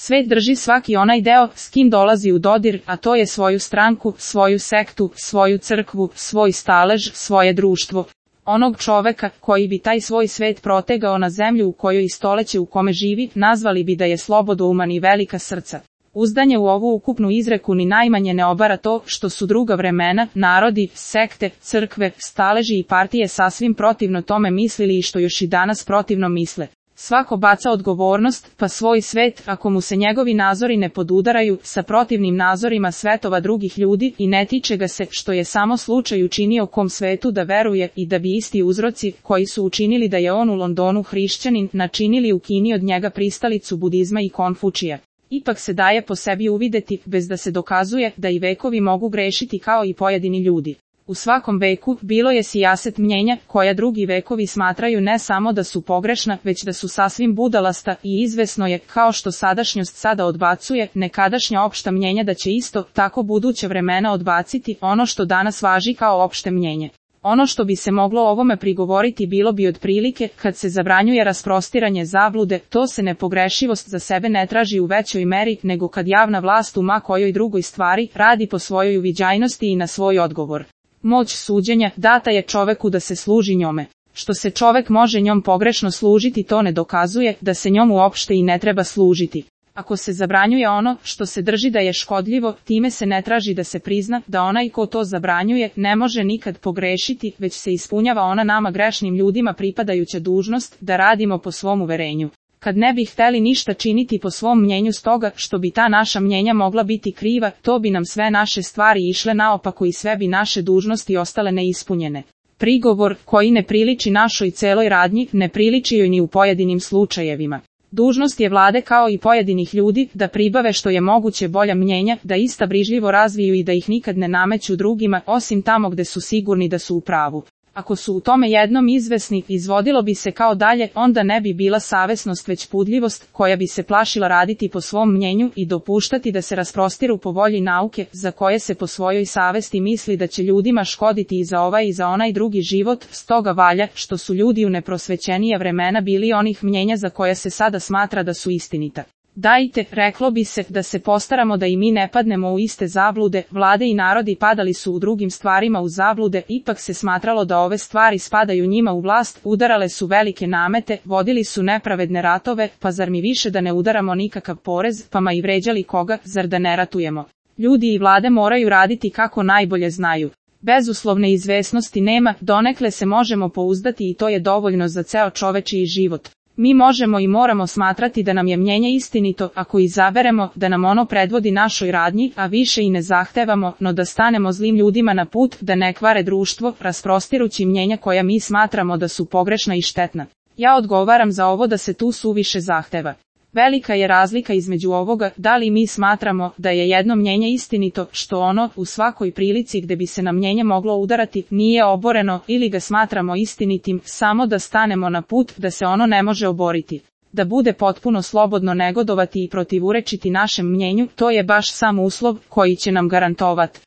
Svet drži svaki onaj deo s kim dolazi u dodir, a to je svoju stranku, svoju sektu, svoju crkvu, svoj stalež, svoje društvo. Onog čoveka koji bi taj svoj svet protegao na zemlju u kojoj i stoleće u kome živi, nazvali bi da je slobodouman i velika srca. Uzdanje u ovu ukupnu izreku ni najmanje ne obara to što su druga vremena, narodi, sekte, crkve, staleži i partije sasvim protivno tome mislili i što još i danas protivno misle. Svako baca odgovornost, pa svoj svet, ako mu se njegovi nazori ne podudaraju sa protivnim nazorima svetova drugih ljudi i ne tiče ga se što je samo slučaj učinio kom svetu da veruje i da bi isti uzroci koji su učinili da je on u Londonu hrišćanin načinili u Kini od njega pristalicu budizma i Konfučija. Ipak se daje po sebi uvideti, bez da se dokazuje da i vekovi mogu grešiti kao i pojedini ljudi. U svakom veku bilo je sijaset mnjenja, koja drugi vekovi smatraju ne samo da su pogrešna, već da su sasvim budalasta i izvesno je, kao što sadašnjost sada odbacuje, nekadašnja opšta mnjenja da će isto tako buduća vremena odbaciti ono što danas važi kao opšte mnjenje. Ono što bi se moglo ovome prigovoriti bilo bi otprilike, kad se zabranjuje rasprostiranje zablude, to se nepogrešivost za sebe ne traži u većoj meri nego kad javna vlast u ma kojoj drugoj stvari radi po svojoj uviđajnosti i na svoj odgovor. Moć suđenja data je čoveku da se služi njome. Što se čovek može njom pogrešno služiti, to ne dokazuje da se njom uopšte i ne treba služiti. Ako se zabranjuje ono što se drži da je škodljivo, time se ne traži da se prizna da onaj ko to zabranjuje ne može nikad pogrešiti, već se ispunjava ona nama grešnim ljudima pripadajuća dužnost da radimo po svom uverenju. Kad ne bi hteli ništa činiti po svom mnjenju stoga što bi ta naša mnjenja mogla biti kriva, to bi nam sve naše stvari išle naopako i sve bi naše dužnosti ostale neispunjene. Prigovor koji ne priliči našoj celoj radnji, ne priliči joj ni u pojedinim slučajevima. Dužnost je vlade kao i pojedinih ljudi da pribave što je moguće bolja mnjenja, da ista brižljivo razviju i da ih nikad ne nameću drugima, osim tamo gde su sigurni da su u pravu. Ako su u tome jednom izvesni, izvodilo bi se kao dalje, onda ne bi bila savesnost već pudljivost, koja bi se plašila raditi po svom mnjenju i dopuštati da se rasprostiru po volji nauke, za koje se po svojoj savesti misli da će ljudima škoditi i za ovaj i za onaj drugi život. Stoga valja, što su ljudi u neprosvećenija vremena bili onih mnjenja za koja se sada smatra da su istinita. Dajte, reklo bi se, da se postaramo da i mi ne padnemo u iste zablude. Vlade i narodi padali su u drugim stvarima u zablude, ipak se smatralo da ove stvari spadaju njima u vlast, udarale su velike namete, vodili su nepravedne ratove, pa zar mi više da ne udaramo nikakav porez, pa ma i vređali koga, zar da ne ratujemo? Ljudi i vlade moraju raditi kako najbolje znaju. Bezuslovne izvesnosti nema, donekle se možemo pouzdati i to je dovoljno za ceo čovečiji život. Mi možemo i moramo smatrati da nam je mnjenje istinito ako izaberemo da nam ono predvodi našoj radnji, a više i ne zahtevamo, no da stanemo zlim ljudima na put, da ne kvare društvo, rasprostirući mnjenja koja mi smatramo da su pogrešna i štetna. Ja odgovaram za ovo da se tu suviše zahteva. Velika je razlika između ovoga, da li mi smatramo da je jedno mnjenje istinito, što ono, u svakoj prilici gde bi se na mnjenje moglo udarati, nije oboreno, ili ga smatramo istinitim, samo da stanemo na put, da se ono ne može oboriti. Da bude potpuno slobodno negodovati i protivurečiti našem mnjenju, to je baš sam uslov koji će nam garantovati